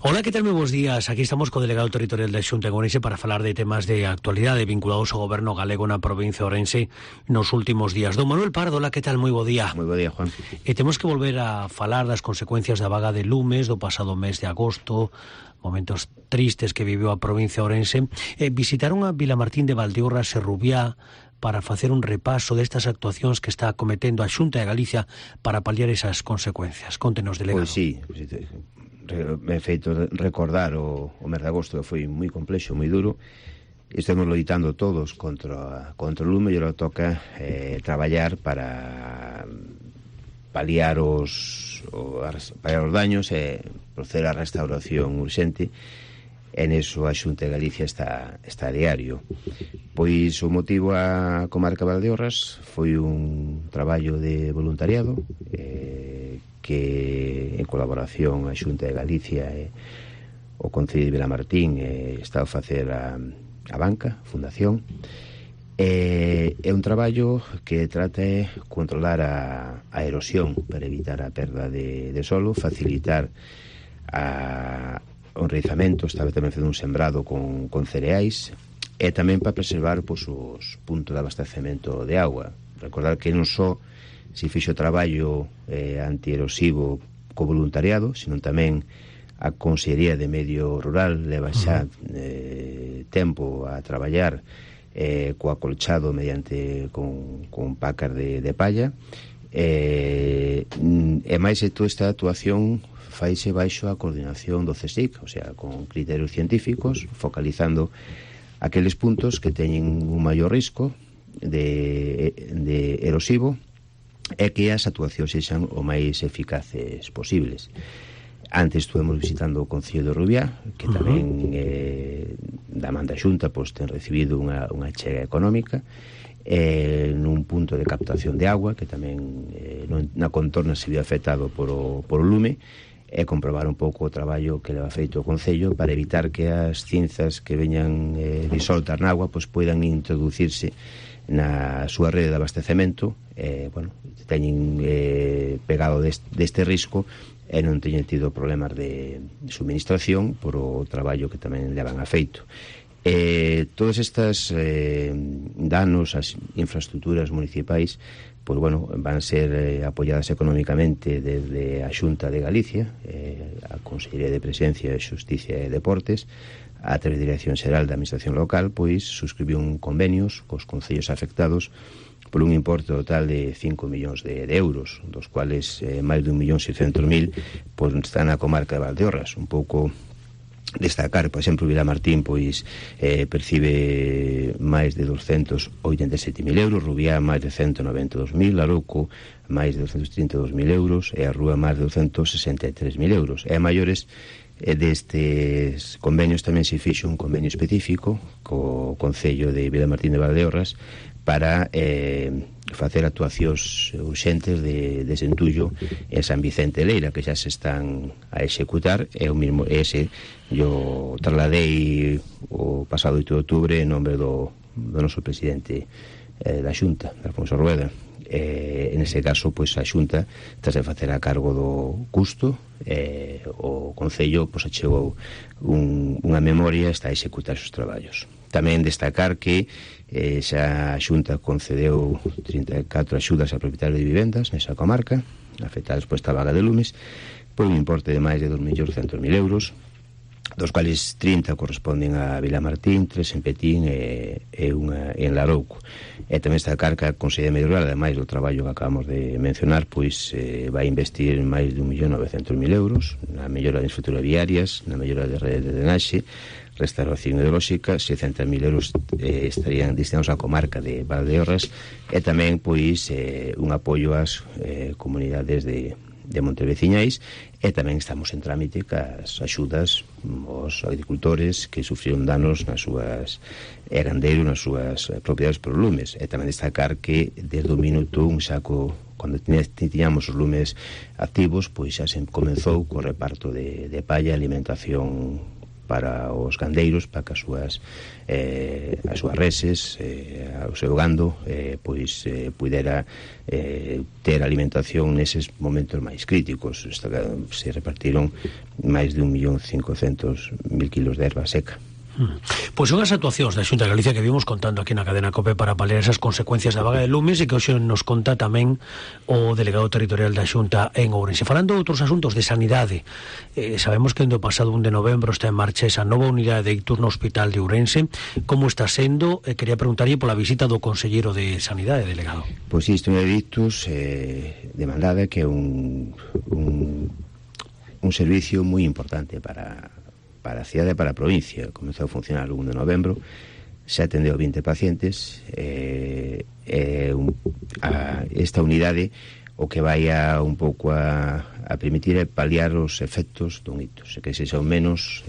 Hola, que tal? Moi bons días. Aquí estamos co delegado territorial da Xunta en Ourense para falar de temas de actualidade vinculados ao goberno galego na provincia de Ourense nos últimos días. Don Manuel Pardo, hola, que tal? Moi bo día. Moi bo día, Juan. E temos que volver a falar das consecuencias da vaga de lumes do pasado mes de agosto, momentos tristes que viveu a provincia de Ourense. Visitaron a Vilamartín de Valdeorras e Rubiá para facer un repaso destas actuacións que está acometendo a Xunta de Galicia para paliar esas consecuencias. Contenos, delegado. Pois sí, me he feito recordar o mes de agosto, que foi moi complexo, moi duro. Estamos loitando todos contra o lume, e ahora toca traballar para paliar os daños e proceder á restauración urxente. En eso a Xunta de Galicia está a diario. Pois o motivo a comarca Valdeorras foi un traballo de voluntariado que en colaboración a Xunta de Galicia e o Concello de Vilamartín está a facer a banca, a fundación. É un traballo que trata de controlar a erosión para evitar a perda de solo, facilitar o enraizamento, estaba tamén facendo un sembrado con cereais, e tamén para preservar os puntos de abastecemento de agua. Recordar que non só se fixo traballo antierosivo co voluntariado, senón tamén a Consellería de Medio Rural leva xa tempo a traballar co acolchado mediante con pacas de palla, e máis de toda esta actuación faise baixo a coordinación do CSIC, o sea, con criterios científicos, focalizando aqueles puntos que teñen un maior risco de erosivo e que as actuacións sexan o máis eficaces posibles. Antes estuvemos visitando o Concello de Rubiá, que tamén da man da Xunta ten recibido unha chega económica nun punto de captación de agua que tamén na contorna se viu afectado por o lume, e comprobar un pouco o traballo que leva feito o Concello para evitar que as cinzas que veñan disoltas na agua poidan introducirse na súa rede de abastecemento, teñen pegado deste risco e non teñen tido problemas de suministración por o traballo que tamén levan a feito. Todas estas danos ás infraestructuras municipais van ser apoiadas económicamente desde a Xunta de Galicia, a Consellería de Presidencia, Xusticia e Deportes, a través da Dirección Xeral da Administración Local, suscribiu un convenios cos concellos afectados por un importe total de 5 millóns de euros, dos cuales máis de 1.600.000 están na comarca de Valdeorras. Un pouco destacar, por exemplo, Vilamartín percibe máis de 287.000 euros, Rubiá máis de 192.000, Larouco máis de 232.000 euros e a Rúa máis de 263.000 euros. E a maiores destes convenios tamén se fixo un convenio específico co Concello de Vilamartín de Valdeorras para facer actuacións urxentes de desentullo en San Vicente de Leira, que xa se están a executar, e o mismo ese yo trasladei o pasado 8 de outubro en nome do noso presidente da Xunta, Alfonso Rueda. En ese caso, a Xunta tras de facer a cargo do custo, o Concello achegou unha memoria, está a executar os traballos. Tamén destacar que xa a Xunta concedeu 34 axudas a propietarios de vivendas nesa comarca afectadas por esta vaga de lumes por un importe de máis de 2.200.000 euros, dos cuales 30 corresponden a Vilamartín, 3 en Petín e unha en Larouco. E tamén destacar que a Consellería de Medio Rural, ademais do traballo que acabamos de mencionar, vai investir máis de 1.900.000 euros na mellora de infraestructuras viarias, na mellora de redes de drenaxe, restauración hidrolóxica. 600.000 euros estarían destinados á comarca de Valdeorras, e tamén un apoio ás comunidades de monteveciñais, e tamén estamos en trámite cas axudas aos agricultores que sufriron danos nas súas gandeiros, nas súas propiedades por lumes. E tamén destacar que desde o minuto un saco, cando tiñamos os lumes activos, xa se comenzou co reparto de palla e alimentación para os gandeiros, para que as súas reses, o seu gando, pois pudera ter alimentación neses momentos máis críticos. Se repartiron máis de 1.500.000 kilos de erva seca. Pois son as actuacións da Xunta de Galicia que vimos contando aquí na cadena COPE para paliar esas consecuencias da vaga de lumes e que hoxe nos conta tamén o delegado territorial da Xunta en Ourense. Falando de outros asuntos de sanidade, sabemos que no pasado 1 de novembro está en marcha esa nova unidade de ictus no Hospital de Ourense. Como está sendo? Quería preguntarlle pola visita do conselleiro de Sanidade, delegado. Pois isto é de ictus demandada, que é un servicio moi importante para a cidade e para a provincia. Comezou a funcionar o 1 de novembro, se atendeu 20 pacientes. Esta unidade o que vai un pouco a permitir é paliar os efectos dun ictus, que sexa o menos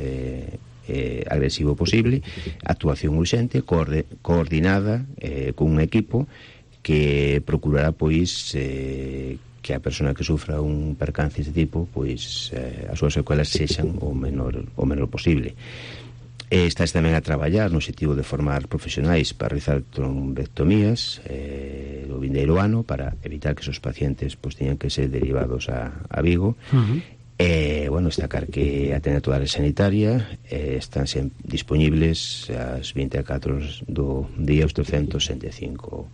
agresivo posible, actuación urxente, coordinada con un equipo que procurará pois que a persona que sufra un percance deste tipo, pois as súas secuelas sexan o menor posible. Estás tamén a traballar no objetivo de formar profesionais para realizar trombectomías do vindeiro ano, para evitar que esos pacientes pois teñan que ser derivados a Vigo. Destacar que a atención sanitaria están disponibles as 24 do día, os 365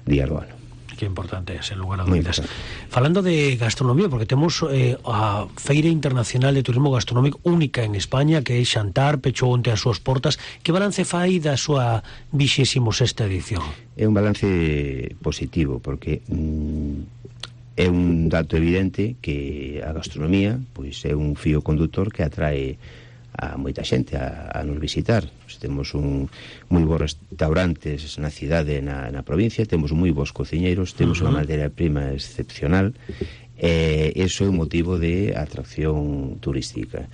días do ano. Que importante é, sen lugar a dúbidas. Falando de gastronomía, porque temos a Feira Internacional de Turismo Gastronómico única en España, que é Xantar, pechou onte as súas portas. Que balance fai da súa 26ª edición? É un balance positivo, porque é un dato evidente que a gastronomía pois é un fío conductor que atrae a moita xente a nos visitar. Temos moi bons restaurantes na cidade e na provincia, temos moi bons cociñeiros, temos unha materia prima excepcional. Eso é un motivo de atracción turística.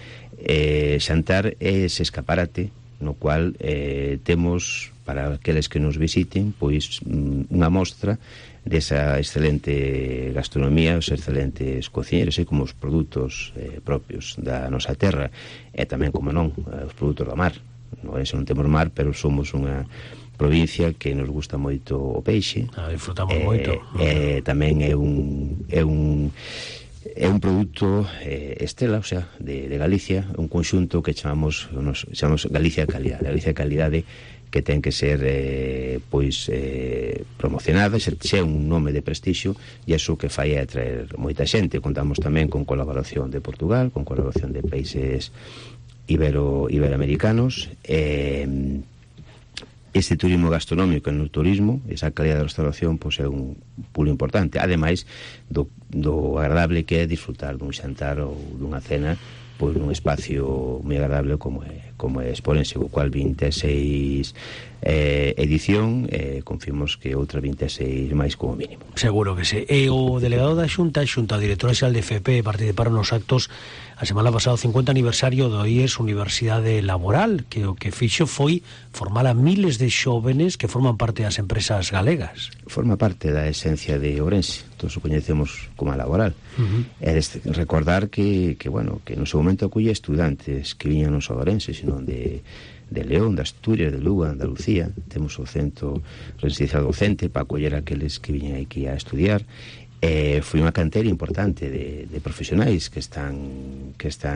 Xantar é ese escaparate no cual temos, para aqueles que nos visiten, pois unha mostra desa excelente gastronomía, os excelentes cociñeiros e como os produtos propios da nosa terra, e tamén, como non, os produtos do mar. Non temos mar, pero somos unha provincia que nos gusta moito o peixe. Disfrutamos moito. Tamén é un produto estela, o sea, de Galicia, un conxunto que chamamos Galicia Calidade. Galicia Calidade, que ten que ser promocionada, xe un nome de prestixio, e iso que fai é atraer moita xente. Contamos tamén con colaboración de Portugal, con colaboración de países iberoamericanos. Este turismo gastronómico no turismo, esa calidad de restauración, pois é un pulo importante, ademais do agradable que é disfrutar dun xantar ou dunha cena pois nun espacio moi agradable como é Exporense, o cual 26 edición, confirmos que outra 26 máis como mínimo. Seguro que sí. E o delegado da Xunta, a directora xeral de FP, participaron nos actos a semana pasada, o 50 aniversario do IES Universidade Laboral, que o que fixo foi formar a miles de xóvenes que forman parte das empresas galegas. Forma parte da esencia de Ourense, todos o coñecemos como a laboral. Recordar que no seu momento aculle estudantes que viñan non só de Ourense, sino de León, de Asturias, de Lugo, de Andalucía. Temos o centro residencial docente para acoller aqueles que viñan aquí a estudiar. Foi unha cantera importante de profesionais que están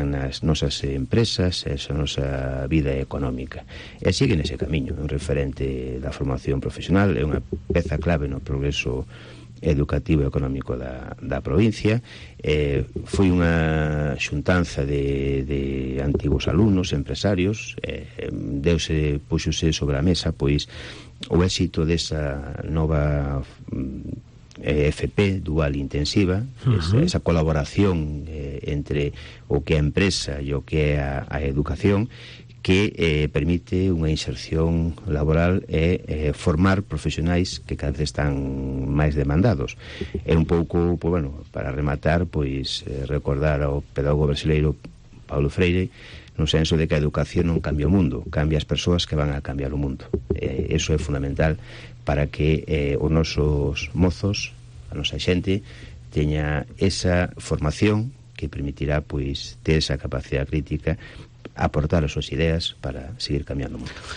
nas nosas empresas, esa nosa vida económica, e sigue nese camiño. É un referente da formación profesional, é unha peza clave no progreso educativo e económico da provincia. Foi unha xuntanza de antigos alumnos, empresarios. Puxose sobre a mesa pois o éxito desa nova FP dual intensiva, esa colaboración entre o que é a empresa e o que é a educación, que permite unha inserción laboral e formar profesionais que cada vez están máis demandados. É un pouco, para rematar, recordar ao pedagogo brasileiro Paulo Freire, no senso de que a educación non cambia o mundo, cambia as persoas que van a cambiar o mundo. Eso é fundamental para que os nosos mozos, a nosa xente, teña esa formación que permitirá ter esa capacidade crítica aportar as súas ideas para seguir cambiando o mundo.